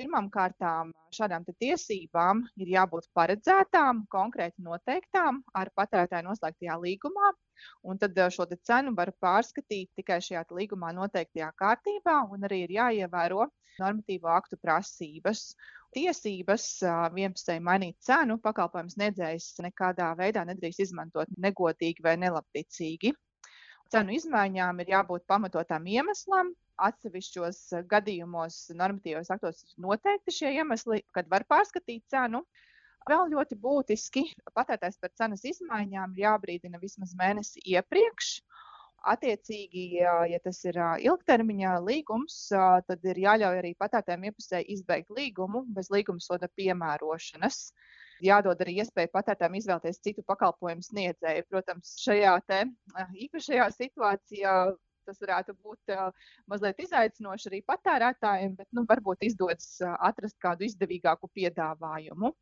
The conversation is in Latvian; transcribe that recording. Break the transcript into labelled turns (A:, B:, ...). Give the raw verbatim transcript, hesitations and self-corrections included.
A: Pirmām kārtām šādām te tiesībām ir jābūt paredzētām, konkrēti noteiktām ar patērētāju noslēgtajā līgumā, un tad eh, šo te cenu var pārskatīt tikai šajā te līgumā noteiktajā kārtībā, un arī ir jāievēro normatīvo aktu prasības. Tiesības ā, vienpusēji mainīt cenu pakalpojumu sniedzējs nekādā veidā nedrīkst izmantot negodīgi vai nelabticīgi. Cenu izmaiņām ir jābūt pamatotām iemeslam. Atsevišķos eh, gadījumos normatīvos aktos ir noteikti šie iemesli, kad var pārskatīt cenu. Vēl ļoti būtiski patērētājs par cenas izmaiņām ir jābrīdina vismaz mēnesi iepriekš. Attiecīgi, ja ja tas ir ā, ilgtermiņa līgums, ā, tad ir jāļauj arī patērētājiem iepusēji izbeigt līgumu bez līguma soda piemērošanas. Jādod arī iespēja patērētājiem izvēlēties citu pakalpojumu sniedzēju. Protams, šajā te ā, īpašajā situācijā tas varētu būt ā, mazliet izaicinoši arī patērētājiem, bet nu, varbūt izdodas ā, atrast kādu izdevīgāku piedāvājumu.